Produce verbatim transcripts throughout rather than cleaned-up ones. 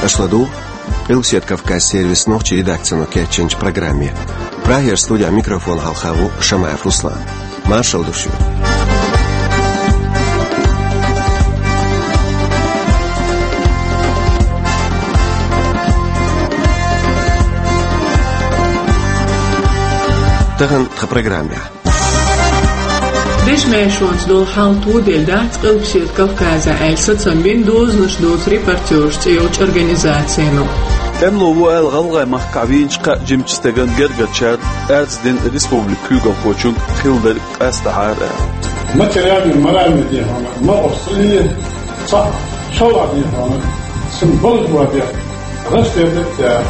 Шу ладугӀу Къилбаседа Кавказ сервисан нохчийн редакцино кечйинчу программе. Прагера студехь микрофон хьалха ву Шамаев Руслан. Маршалла ду шуьга. Тахана тхан программехь. Дешан маьршонца долу хьал тоделла дац Къилбаседа Кавказехь аьлла сацам бина «Дозанаш доцу репортераш» цӀе йолчу организацино. ТӀемало ву аьлла гӀалгӀай махкахь вийначу кхаа жимачу стеган гергарчара аьрзнаш дина республикан куьйгалхочуьнга хилла дерг къастахьара аьлла. Материальный, моральный дехьа, ма оцу цӀе, цхьа шовзткъа дехьа, сан балхо дехьа, рас дерг цара.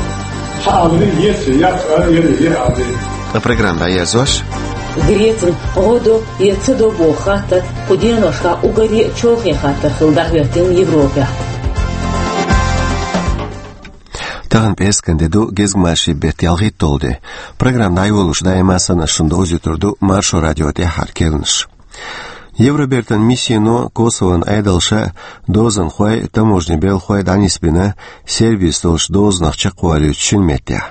Хьан аларий, еций, яц ара, яра, яра аларий. Ткъа программа дӀаерзош. Грецина гӀо до я ца до боху хаттар кху деношкахь уггаре а чолхе хаттар хилла дӀахӀоьттина Европехь. Тахана пӀераскан де ду, гезгмашин беттан ялхитталгӀа де. Программа дӀайолош даима санна шуна довзуьйтур ду Маршо радион тӀаьххьара керланаш. Евробертан миссино Косовон Ӏедалша дозанхой, таможни белхой дӀанисбина Сербис долчу дозанах чекхвалуьйту шина меттехь.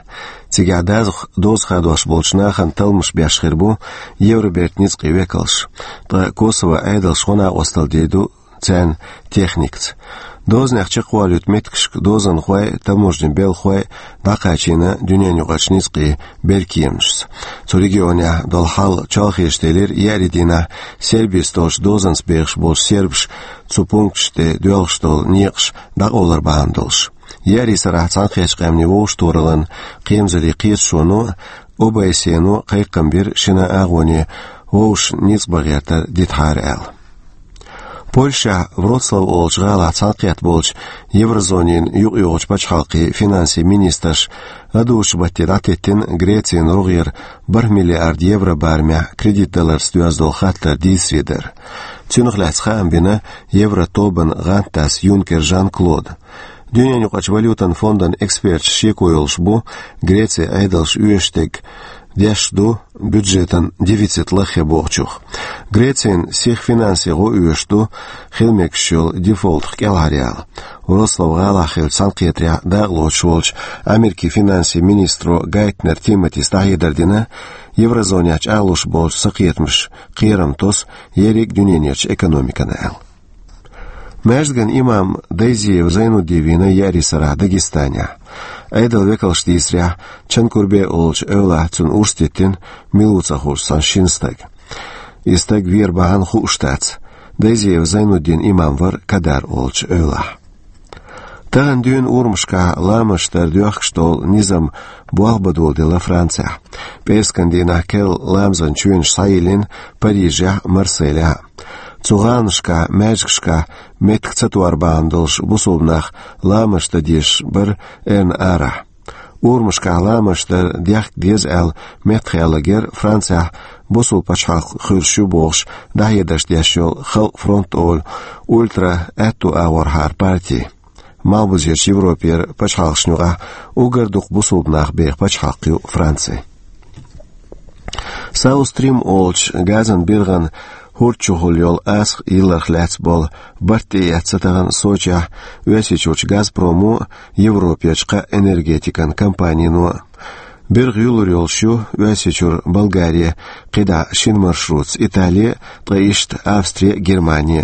Цигахь дазах доза хадош болчу нахана талламаш беш хир бу Евробертан ницкъийн векалш. Ткъа Косовон Ӏедалша гӀо-накъосталла дийр ду царна техникаца. Дозанех чекхвалуьйту меттигашка дозанхой, таможни белхой дӀакхачийна дуьненаюкъарчу ницкъийн беркеманашца. Цу регионехь долу хьал чолхе делира еарин дийнахь Сербис долчу дозанца бехаш болчу сербаша цу пункташна тӀе доьлхуш долу некъаш дӀакъовлар бахьана долуш. Еарин сарахь Цхьаьнакхеттачу Къаьмнийн Вовшахтохараллин кхерамзаллин кхеташоно, ОБСЕ-но кхайкхам бира шина агӀоне вовшашна ницкъ бан гӀертар дитахьара аьлла. Польшехь Вроцлав олучу гӀалахь цхьаьнакхетта болчу еврозонин юкъайогӀучу пачхьалкхийн финансийн министраша ладугӀучу батте дӀатеттина Грецин рогӀера бархӀ миллиард евро барамехь кредит даларца доьзна долу хаттар дийцаре дар. Цунах лаьцна хаам бина Евротобан гӀантдас Юнкер Жан-Клода. Дуьненаюкъарчу валютан фондан эксперташ шеко йолуш бу Грецин Ӏедалша оьшуш дерг деш ду бюджетан дефицит лаххе бохучух. Грецин сиха финансийн гӀо оьшуш ду хила мегаш йолу дефолтах кӀелхьараяла. Вроцлав гӀалахь хиллачу цхьаьнакхетарехь дакъалоцуш волчу Америкин финансийн министро Гайтнер Тимотис дӀахьедар дина, еврозонехь чӀагӀлуш болчу сакхетамаша кхерам тосу ерриг а дуьненерчу экономикана аьлла. Маьждиган имам Дайзиев Зайнуддин вийна еарин сарахь Дагестанехь. Ӏедалан векалша дийцарехь, Чанкурбе олучу эвлахь цунна урс диттина мила ву ца хуучу цхьана шина стага. И стаг вер бахьана хууш дац. Дайзиев Зайнуддин имам вара Кадар олучу эвлахь. Тахана дуьйна урамашкахь ламазаш дар доьхкуш долу низам болх бан доладелла Францехь. ПӀераскан дийнахь керла ламазан чоьнаш схьайиллина Парижехь а, Марселехь а. Цу гӀаланашкахь, маьждигашкахь меттиг ца тор бахьана долуш бусулба нах ламазаш дан дезаш бара эрна арахь. Урамашкахь ламазаш дар дехка деза аьлла меттахъяьлларг яра Францехь бусулба пачхьалкх хуьлуш ю бохуш дӀахьедарш деш йолу Халкъан фронт олу ультра-аьтту агӀорхьара парти. Малхбузерчу Европера пачхьалкхашна юкъахь уггар дукха бусулба нах беха пачхьалкх ю Франци. South Stream олучу газан биргӀан хӀорда чухула йолу асхъа йилларх лаьцна болу барт тӀеэцна тахана Сочехь Оьрсийчуьрчу Газпромо а, Европерчу кхаа энергетикан компанино а. БиргӀа юьллур йолуш ю Оьрсийчуьра Болгаре, кхидӀа шина маршрутца Итале, ткъа иштта Австре, Германе.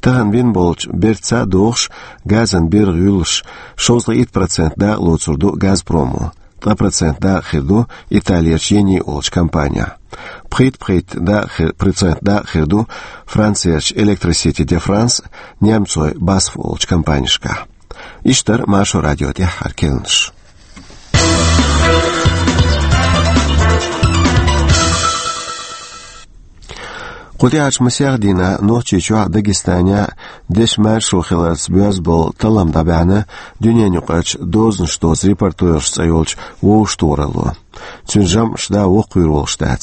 Тахана бина болчу бертаца догӀуш, газан биргӀа юьллуш, шовзткъе итт процент дакъа лоцур ду Газпромо, ткъа процент дакъа хир ду Италерчу Ени олучу компанехь. Пхийтта-пхийтта дакъа хир, процент дакъа хир ду Францерчу Электросити де Франс, немцойн басф олучу компанешкахь. Иштта дара Маршо радион тӀаьххьара керланаш. Кху тӀаьхьарчу масех дийнахь Нохчийчохь а, Дагестанехь а дешан маьршо хиларца боьзна болу таллам дӀабаьхьна дуьненаюкъарчу «Дозанаш доцу репортераш» цӀе йолчу вовшахтохаралло. Цуьнан жамӀаш дӀа воккхавийр волуш дац.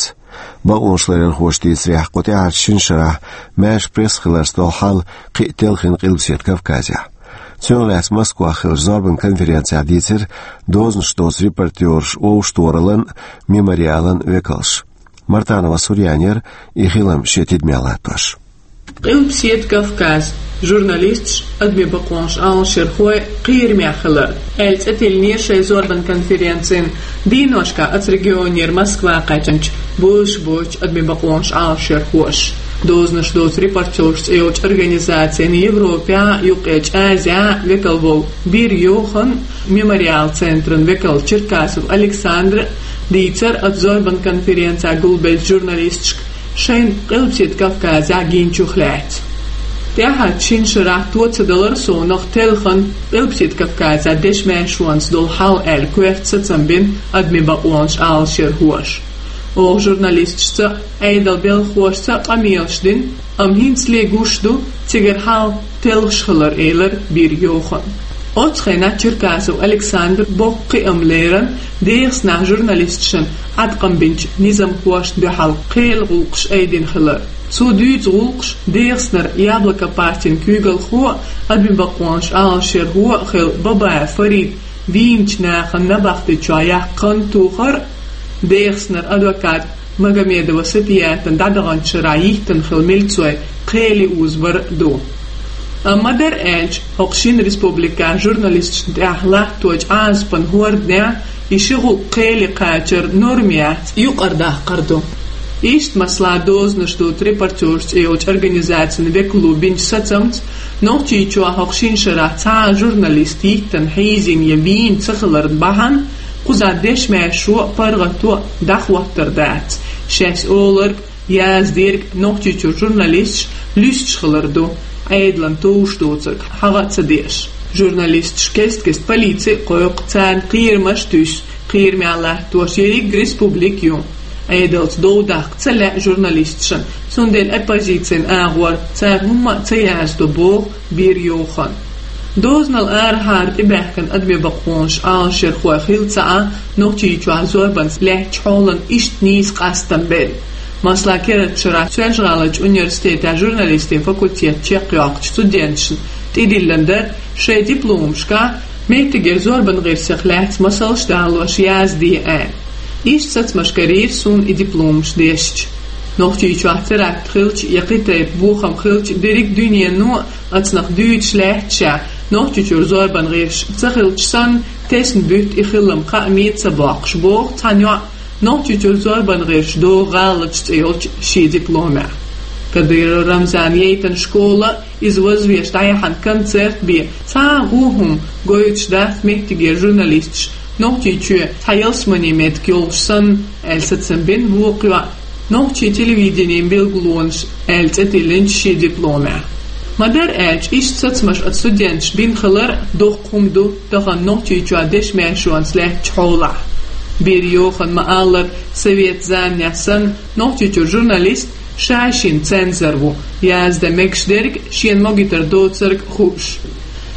Бакъонашларъярхоша дийцарехь, кху тӀаьхьарчу шина шарахь маьрша пресса хиларца долу хьал кхин а телхина Къилбаседа Кавказехь. Цунах лаьцна Москвахь хиллачу зорбан конференцехь дийцира «Дозанаш доцу репортераш» вовшахтохараллан а, «Мемориалан» векалша. Мартанова Сурьяна яра и хилам шен тидамехь латтош. Къилбаседа Кавказ. Журналисташ, адамийн бакъонаш Ӏалашъярхой кхерамехь хилар, аьлла цӀе тиллинера шайн зорбан конференцин дийношка оцу регионера Москва кхаьчначу бозуш боцчу адамийн бакъонаш Ӏалашъярхоша. Дозанаш доцу репортёрш цӀе йолчу организацин Европехь а, Юккъерчу Азехь а векал волу Бир Йохан, Мемориал центран векал Черкасов Александр дийцар оцу зорбан конференцехь гулбеллачу журналисташка шайна Къилбаседа Кавказехь гинчух лаьцна. ТӀаьхьарчу шина шарахь то ца далара суна телхина Къилбаседа Кавказехь дешан маьршонца долу хьал аьлла коьрта сацам бина адамийн бакъонаш Ӏалашъярхоша. Оха журналисташца, Ӏедалан белхалошца къамелаш дина, амма хӀинцале гуш ду цигара хьал телхаш хилар, элира Бир Йохана. Оцу хенахь Черкасов Александр боккха кхиам лерина ДегӀастанахь журналисташна Ӏаткъам бинчу низамхошна дуьхьал кхелан гӀуллакхаш айдина хилар. Цо дуьйцу гӀуллакхаш ДегӀастанара Яблоко партин куьйгалхо а, адамийн бакъонаш Ӏалашъярхо а хилла Бабаев Фарид вийначу нахана набахти чохь яккха хан тухар а, ДегӀастанара адвокат Магомедова Сапиятан дӀадаханчу шарахь йиттина хилла милцой кхеле узабар а ду. Амма ма-дарра аьлча, хӀокху шина республикехь журналисташна тӀехь латточу Ӏазапан хӀорданехь и ши гӀуллакх кхеле кхачар норма яц, юкъара даккхар ду. Иштта, масала, дозанаш доцу репортёрш цӀе йолчу организацин векало бинчу сацамца, Нохчийчохь хӀокху шина шарахь цхьа а журналист йиттина, хьийзина я вийна ца хиларна бахьана, кхузахь дешан маьршо а, паргӀато а дӀахӀоттор дац. Шаьш олург, яздерг Нохчийчуьра журналисташ луьстуш хилар ду, Ӏедална товш доцург хьагӀ а ца деш. Журналисташ кест-кеста полици а кхойкху, царна кхерамаш а туьсу, кхерамехь латтош ерриг республика ю. Ӏедалца дов даккха ца лаьа журналисташна, цундела оппозицин агӀор цара хӀумма а ца яздо, боху Бир Йохана. Дозанал арахьара тӀебаьхкина адамийн бакъонаш Ӏалашъярхой хилла ца Ӏа, Нохчийчохь зорбанца лаьттачу хьолан иштта нийса къастам белла. Масала, керла шарахь Соьлжа-ГӀаларчу университетехь журналистийн факультет чекхйоккхучу студенташна тӀедиллина дара шайн дипломашкахь меттигера зорбан гӀирсех лаьцна масалш далош язде аьлла. Иштта сацамаш карийра суна и дипломаш дешча. Нохчийчохь теракт хилча я кхин тайпа бохам хилча, дерриг дуьнено а оцунах дуьйцуш лаьтташехь, Нохчийчуьра зорбан гӀирсаш ца хилча санна, тесна буьту и хилам кхааме а ца боккхуш, боху цхьана йоӀа Нохчийчуьра зорбан гӀирсаш догӀу гӀалаташ цӀе йолчу шен дипломехь. Кадыров Рамзана яйтина школа, иза вазвеш дӀаяхьна концерт бен, цхьа а гӀо хӀума гойтуш дац меттигера журналисташ, Нохчийчоь цхьа ялсаманин меттиг йолуш санна, аьлла сацам бина вукху йоӀа, нохчийн телевиденин билгалонаш аьлла цӀе тиллинчу шен дипломехь. Ма-дарра аьлча, иштта сацамаш оцу студенташа бина хилар доккха хӀума ду тахана Нохчийчохь дешан маьршонца лаьттачу хьолахь. Бир Йохана ма-аллара, совет заманехь санна, Нохчийчуьра журналист ша-шина цензор ву, яздан мегаш дерг, шена могуьйтур доцург хууш.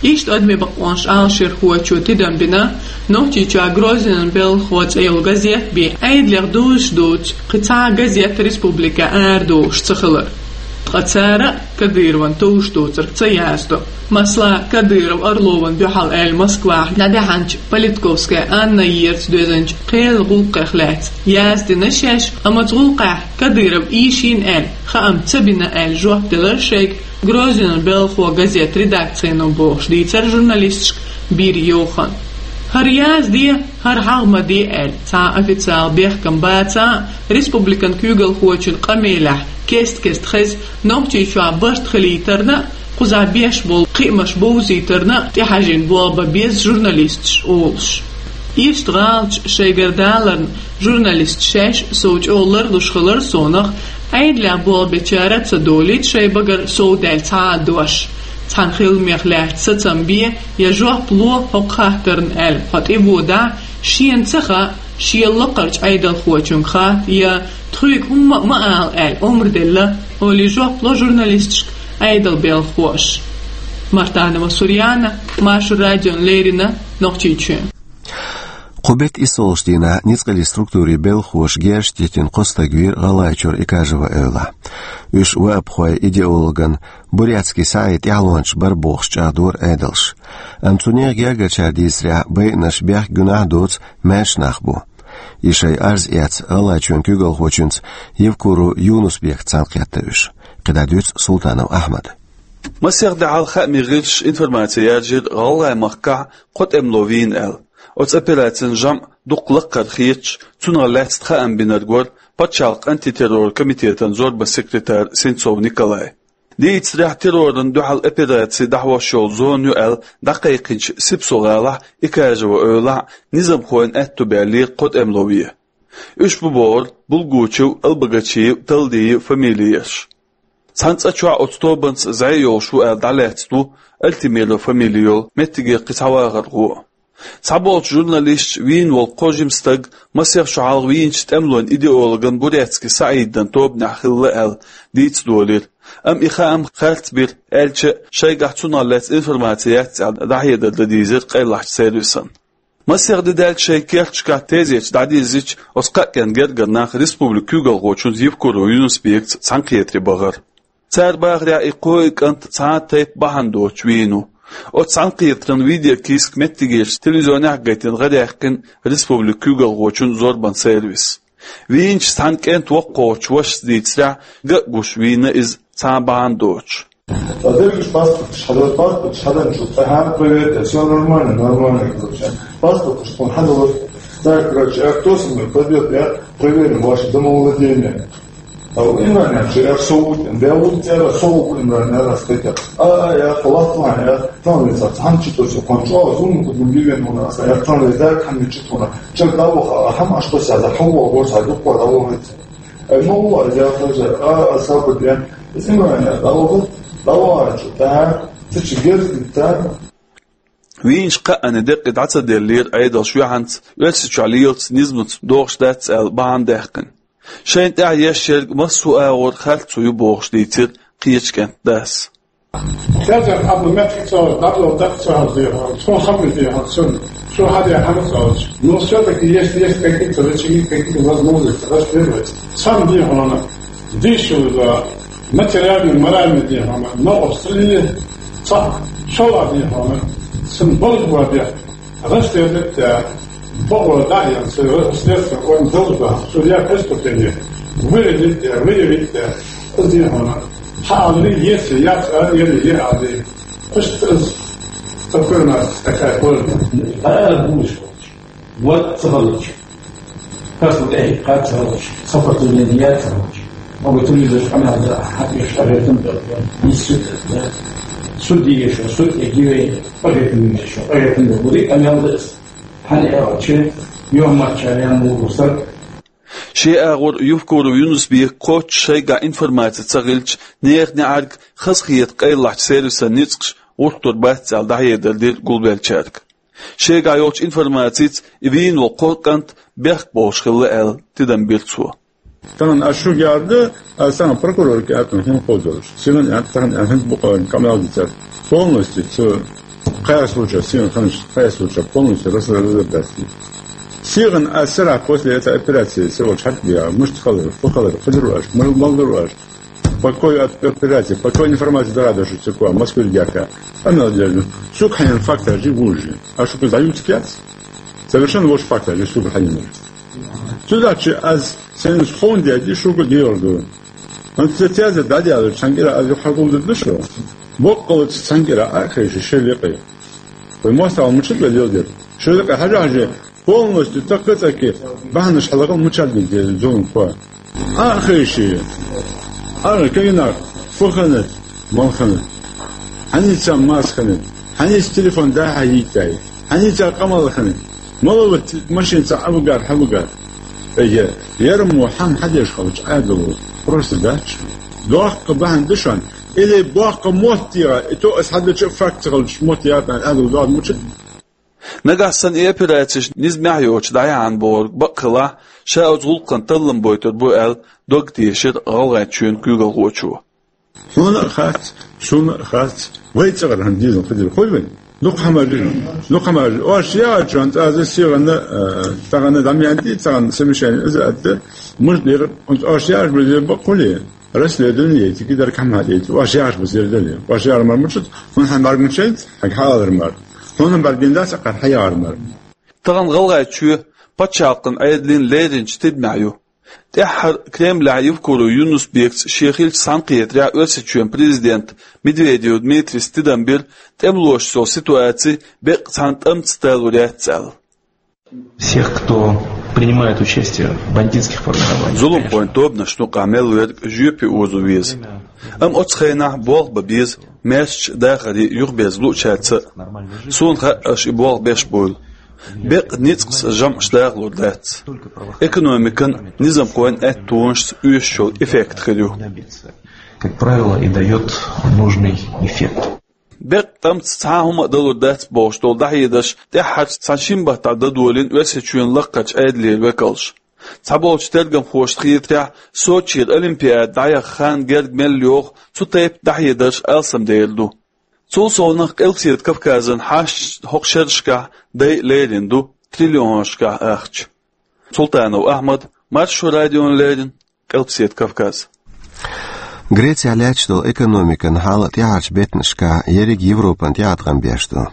Иштта адамийн бакъонаш Ӏалашъярхочо тидам бина Нохчийчохь Грозинан белхо цӀе йолу газет бен, Ӏедалех дозуш доцу кхин цхьа а газет республикехь арадохуш ца хилар. Ткъа цара а Кадыровна товш доцург ца яздо. Масала, Кадыров Орловна дуьхьал аьлла Москвахь дӀадаьхьначу Политковская Анна ерца доьзначу кхелан гӀуллакхех лаьцна яздина шаьш, амма оцу гӀуллакхехь Кадыров ийшина аьлла, хаам ца бина аьлла жоп делира шайга Грозинан белхо газет редакцино, бохуш дийцар журналисташка Бир Йохана. ХӀара язде, хӀара хьагӀ ма де аьлла, цхьа а официал бехкам бац а, республикан куьйгалхочун къамелехь кест-кеста хеза Нохчийчохь барт хилийтарна а, кхузахь беш болу кхиамаш бовзийтарна а тӀехьажийна болх бан беза журналисташ олуш. Иштта гӀалаташ шайгара даларна журналисташ шаьш сов чӀогӀа ларлуш хилар сонах, Ӏедалехь болх бечара а ца долийта шайн багара сов даьлла цхьа а дош. Цхьана хиламех лаьцна сацам бе я жоп ло хӀокху хаттарна аьлла, хьо тӀеводахь, шена ца хаьа, шен лакхарчу Ӏедалхочуьнга хатта я тхоьга хӀумма а ма ала аьлла омра делла, олий жоп ло журналисташка Ӏедалан белхахоша. Мартанова Сурьяна, Маршо радиона леррина, Нохчийчоь. Кху беттан иссалгӀачу дийнахь ницкъаллин структурийн белхахоша герзаш диттина кхо стаг вийра ГӀалгӀайчуьра Икажева эвлахь. Уьш ваапхойн идеологан Бурятский саӀий тӀаьхьалончаш бара бохуш чӀагӀдора Ӏедалша. Амма цу нехан гергарчара дийцарехь, байинарш бехк-гуьнахь а доцу маьрша нах бу. И шайн арз эцна ГӀалгӀайчоьнан куьйгалхочуьнца Евкуров Юнус-Бекца цхьаьна кхетта уьш. кхидӀа дуьйцу Султанов Ахьмада. Масех де хьалха хаамийн гӀирсаша информаци яржийра ГӀалгӀай махкахь кхо тӀемало вийна аьлла. Оцу операцин жамӀ дукха лакхара хеташ, цунах лаьцна хаам бинарг вара пачхьалкхан антитеррор комитетан зорбан секретарь Сенцов Николай. Дийцарехь, террорна дуьхьал операци дӀахьош йолу зона ю аьлла дӀакхайкхинчу Сипсо-гӀалахь, Икажево эвлахь низамхойн аьтто баьллера кхо тӀемало вен. Уьш бу бохура Булгучев, Албогачиев, Талдиев фамилиерш. Цхьана цӀа чохь оцу тобанца зӀе йолуш ву аьлла дӀалаьцна ву Альтимиров фамили йолу меттигера кхин цхьа вахархо. Цхьаболчу журналисташа вийна волу кхо жима стаг масех шо хьалха вийначу тӀемалойн идеологан Буряцкий СаӀидан тобанехь хилла аьлла дийца долийра, амма и хаам харц бира, аьлча а, шайгахь цунах лаьцна информаци яц аьлла дӀахьедар дан дийзира къайлахчу сервисан. Масех де даьлча шайн керташкахь тезеташ дӀадирзича, оцу кхаа кӀентан гергара нах республикан куьйгалхочуьнца Евкуров Юнус-Бекца цхьаьнакхетаре бахара. Цара бахарехь, и кхо кӀант цхьа а тайпа бахьана доцуш вийна ву. Оцу цхьаьнакхетаран видеокийсак меттигерчу телевизионехь а гайтина гӀараьккхина республикан куьйгалхочун зорбан сервис. Вийначу цхьана кӀентан воккхачу вашас дийцарехь, ган а гуш вийна иза цхьа а бахьана доцуш. Ткъа дерригаш паспорташ хьадар, паспорташ хьадарна шу тӀаьхьа проверить, всё нормально, нормально, короче. Паспорташ тхуна хьадалар. Так, короче, а кто со мной пойдёт, я проверю ваше домовладение. А у Имрана, что я сову, я вот я сову Имрана, я раскрыта. А, а, я халатла, я там лица, там что-то всё, кончалось, ну, куда мы бивен у нас, я там лица, там что-то, что давай, а там что-то, я за халу, а вот, а дух, а вот. Ай, ма ву, я тоже, а, а, сабур, я, зимой, я, да, вот, давай, что, так, ты че, герзит, так. Вийначу кхаанна деккъа дӀа ца деллера Ӏедалша юьхьанца, Оьрсийчохь лелаца низамца догӀуш дац аьлла бахьана даьккхина. Шайна тӀехь еш ерг массо а агӀор харцо ю бохуш дийцира кхечу кӀентан дас. Хезар хьабла меттиг ца олуш, дӀадолу дакъа ца хьалзехьа, цо хабар дехьа, цунна, цо хьадехьа ца олуш. Но всё-таки есть, есть какие-то рычаги, какие-то возможности расследовать. Сам дехьа, дишула, материальный, моральный дехьа, но Австралия, ца, шола дехьа, сан болх бадехь. Расследовать, э, по, да, я, с-, следствие, он должен, судья преступление, выявить, э, выявить, э, сделано. Хали, если я, э, или я, а, ты. Пусть, э, такой у нас, такая форма. А, будешь. Вот, ца хилча. Кас вот, эй, кас ца хилча. Сопротивление ца хилча. Могу телевизор, канал, да, а, ты что, это, да, да. Не суд, да. Суд, и что, суд, и гивей, поэтому что, поэтому будет, канал, да. Хьан аьлча, юьхьмарча ян мугу стаг. Шен агӀор Евкуров Юнус-Бека кхоччуш шайгахь информаци ца хилча, нехан неӀарга хазахета къайлахчу сервисан ницкъаш гӀуртур бац аьлла дӀахьедар дира гулбеллачаьрга. Шайгахь йолчу информацица и вийна волу кхо кӀант бехк болуш хилла аьлла тидам бира цо. Тахана ас шуьга яра ду, ас тахана прокурорга аьлла хӀун кхозалуш. Сихан аьлла, тахана аьлла хӀинца бу-, къамел дицар. Полностью цу кхаья случай, сихан ханаш кхаья случай полностью раз-, разобрать. Сихан ас сарахь после этой операции, сиха волчу хьаьркабига, муьшта халар, фу халар, хилар ваш, мал-, малдар ваш. По какой оп-, операции, по какой информации догадываешься, цу кхо, Москве яка. Къамел дезна. Сука хьайна фактажи вужи. А шуьга дӀаюьйцу кец? Совершенно вож фактажи сука хьайна. Цудачи аз сен схон дяди шуга дер ду. Ан цецяза дадяла цангира аз хагул ду шу. Боккъала цангира а хеши шеликъи. Вай мостал мучит вай дел дер. Шеликъи хажа хажи полностью такка цаки бахнаш халагал мучат дин дер зон ква. А хеши. А кайна фуханат, малханат. Хьаница мас ханат. Хьаница телефон даха йитай. Хьаница къамал ханат. Мала вот машин ца авгар, хавгар. Эге, ярам мо хьан хьадеш халч адалу. Просто дач. Дохка бахан душан. Или бохка мотт яра. И то ас хьадача факт халч мотт яра, адал догад мучит. Нагахь санна и операцеш низамехь йоцуш дӀаяхьна бохург бакъ хилахь, ша оцу гӀуллакхан таллам бойтур бу аьлла, дог тешира ГӀалгӀайчоьнан куьйгалхочо. Хьуна а хац, суна а хац, вай цӀагӀара хӀан дезал хадир хуй вайн. Дукха хӀамажи, дукха хӀамажи. Ош яа чуан цӀаза сигӀана, э, цӀагӀана дамьянти, цӀагӀана совещание иза атта, муж дера, ош яаш бу зер бакъ хули. Расследование яйти, кидар кам хьадайти. Ваш яхаш бу зердали. Ваш яр мар мучут, хун хьан мар мучайт, хьаг хьалар мар. Хун хьан бар гинда сакъар хьаяр мар. Тахана ГӀалгӀайчоь пачхьалкхан Ӏедалан леринчу тидамехь ю. ТӀеххьара Кремлехь Евкуров Юнус-Бекца шен хиллачу цхьаьнакхетарехь Оьрсийчоьнан президента Медведев Дмитрийс тидам бира тӀемалошца йолу ситуаци беккъа цхьана тӀамца талур яц аьлла. Всех, кто принимает участие в бандитских формированиях, конечно. Зуламхойн тобанашна юкъахь мел верг жоьпе озо веза. Амма оцу хенахь болх бан беза маьршачу дахаре юхаберза луучаьрца а. Суна хаьа, аша и болх беш буйла. Беккъа ницкъаца жамӀаш дахалур дац. Экономикан, низамхойн аьттонашца оьшуш йолу эффект хир ю. Как правило, и даёт нужный эффект. Беккъа тӀамца цхьа а хӀума а далур дац бохуш долу дӀахьедарш тӀаьххьарчу цхьана шина баттахь дан долийна Оьрсийчоьнан лакхарчу Ӏедалера векалша. Цхьаболчу тергамхошна хетарехь, Сочера Олимпиада дӀаяхна хан герга мел йогӀу цу тайпа дӀахьедарш алсамдер ду. Цул совнаха Къилбаседа Кавказан хьашташ хӀокху шерашкахь дайа лерина ду триллионашкахь ахча. Султанов Ахьмад, Маршо радиона леррина, Къилбаседа Кавказ. Грецехь лаьтташ долу экономикан хьал тӀаьхьарчу беттанашкахь ерриг Европан тӀеӀаткъам беш ду.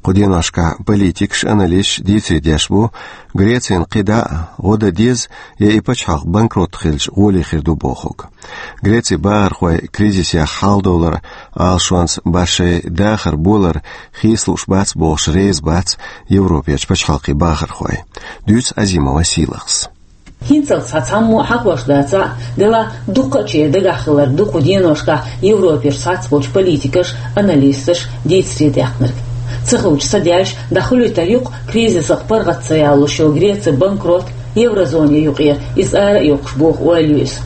Кху деношкахь политикаш, аналисташ дийцаре деш бу, Грецин кхидӀа а гӀо дан деза, я и пачхьалкх банкрот хилча гӀоле хир ду бохург. Грецин бахархой кризисех хьалдовлар Ӏалашонца башей дахар болар хийца лууш бац бохуш реза бац Европерчу пачхьалкхийн бахархой. Дуьйцу Азимова Сийлахьс. ХӀинцалц цхьа цхьаммо а хьахош дацахь а, делахь дуккха а чер дагахь хилар ду кху деношкахь Европерчу цхьацца болчу политикаш, аналисташ дийцаре даьккхинарг. Ца хуьлуш, ца даьллаш, дӀахуьлуьйтур ю-кх кризисах паргӀат ца ялош йолу Греци банкрот, еврозоне юкъера иза ара а йоккхуш боху ойла ю иза.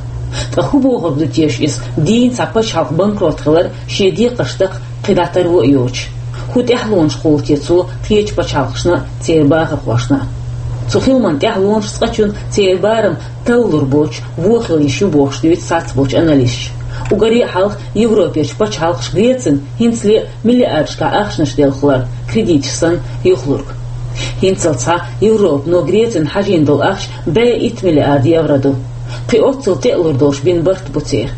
Ткъа хӀун бохург ду теша иза, дийна цхьа пачхьалкх банкрот хилар шен декхарш даккха кхин дӀа таро а йоцуш? ХӀун тӀаьхьалонаш кхуллу те цо кхечу пачхьалкхашна а, церан бахархошна а? Цу хиламан тӀаьхьалонаш цкъачунна церан барам таллур боцуш вон хила йиш ю бохуш дуьйцу цхьацца болчу аналисташа. Уггаре а хьалха Европерчу пачхьалкхаша Грецина хӀинцале а миллиардашкахь ахчанаш делла хилар, кредиташ санна, юхалург. ХӀинцалц цхьа Европано Грецина хьажийна долу ахча бӀе итт миллиард евро ду. Кхин оццул тӀе а лур долуш бина барт бу церан.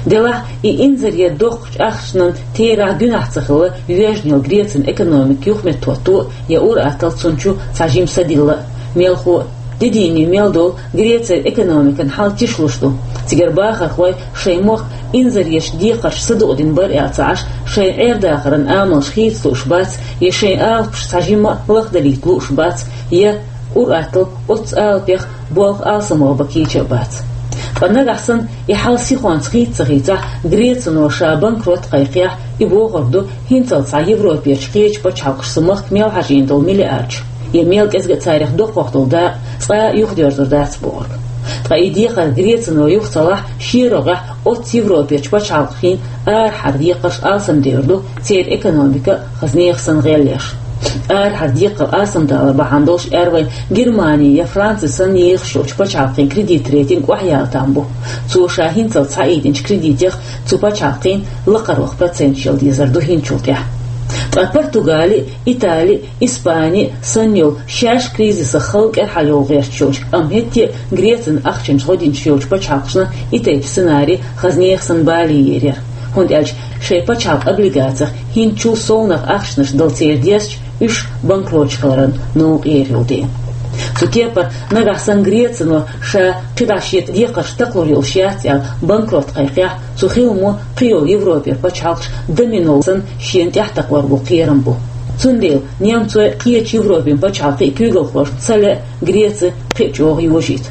Делахь и инзаре доккху ахчанан терахь гуьнахь ца хилла йоьжна йолу Грецин экономика юхаметтахӀотто а, я ур-атталла цунна чу цхьа жима са дилла а, мелхо а, де дийне мел долу Грецин экономикан хьал тишлуш ду. Цигара бахархой шайн мохк инзаречу декхарша садукъдина бара аьлла ца Ӏаш, шайн Ӏер-дахаран амалш хийца лууш бац, я шайн алапаш цхьа жимма а лахдалийта лууш бац, я ур-атталла оццу алапех болх алсамох бан кийча а бац. Ткъа нагахь санна и хьал сихонца хийца ца хийцахь, Грецано ша банкрот кхайкхехь, и бохург ду хӀинцалц цхьа Европерчу кхечу пачхьалкхашца махка мел хьажийна долу миллиардаш, я мел кӀезиг а царах доккхох долу дакъа цкъа а юхадоьрзур дац бохург. Ткъа и декхар Грецано юха ца лахь, шен рогӀехь оццу Европерчу пачхьалкхийн арахьара декхарш алсамдер ду, церан экономика а хаза нехан санна гӀелъеш. Арахьара декхар алсамдалар бахьана долуш аьрра вайн Германи я Франци санна ехаш йолчу пачхьалкхийн кредит рейтинг охьаяла там бу. Цо ша хӀинцалц схьаийдинчу кредитех цу пачхьалкхийн лакхарваха проценташ яла дезар ду хӀинцачул тӀаьхьа. Ткъа Португали, Итали, Испани санна йолу шаьш кризисах халла кӀелхьарйовла гӀерташ йолчу, амма хӀетте а Грецина ахчанаш гӀо динчу йолчу пачхьалкхашна и тайпа сценарий хаза нехан санна бале ер яра. ХӀунда аьлча шайн пачхьалкхан облигацех хӀинцачул совнаха ахчанаш дала церан дезча, уьш банкроташ хиларан новкъа эр йолу дела. Цу кепара нагахь санна Грецано ша кхидӀа шен декхарш такхалур йолуш яц аьлла банкрот кхайкхехь, цу хиламо кхийолу Европера пачхьалкхаш домино санна шена тӀаьхьатакхор бу кхерам бу. Цундела немцойн а, кхечу Европин пачхьалкхийн а куьйгалхошна ца лаьа Греци кхин а чӀогӀа йожийта.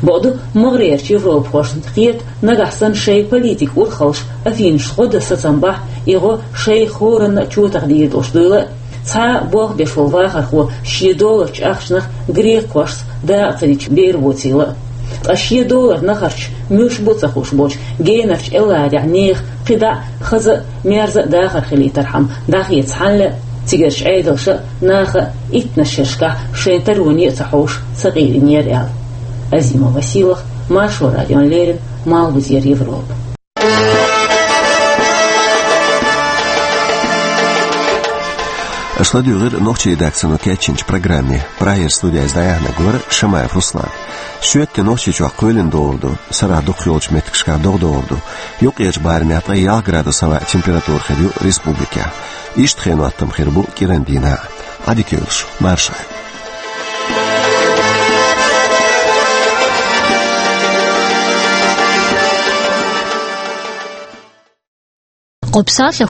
Бакъду, могӀарерчу европахошна хета, нагахь санна шайн политикан урхаллаш Афинашца гӀо дан сацам бахь, и гӀо шайх хӀоранна а чотахдийр долуш дуйла а, цхьа а болх беш волу вахархо шен долларчу ахчанах грекхошца дакъа ца дича бер воцийла а. Ткъа шен доллар нахарчу муьлш бу а ца хууш болчу генарчу элларехь нехан кхидӀа а хаза а, мерза а дахар хилийтархьама дӀахецахьана а, цигарчу Ӏедалша а, наха а иттаннаш шерашкахь шайн тароне а ца хьовш, сакъерийнера аьлла. Азимова Сийлахь, Маршо радиона леррина, Малхбузера Европа. Аша ладуьйгӀира нохчийн редакцино кечйинчу программе. Прагера студехь иза дӀаяьхьнарг вара Шамаев Руслан. Шоьтан де Нохчийчохь кхоьлина догӀур ду, сарахь дукхахйолчу меттигашкахь догӀа догӀур ду. Юккъерчу барамехь ткъе ялх градус хӀаваан температура хир ю республикехь. Иштта хенан хӀоттам хир бу кӀиран дийнахь а. Ӏадика йойла шун, марша Ӏойла. Къопсалъэ.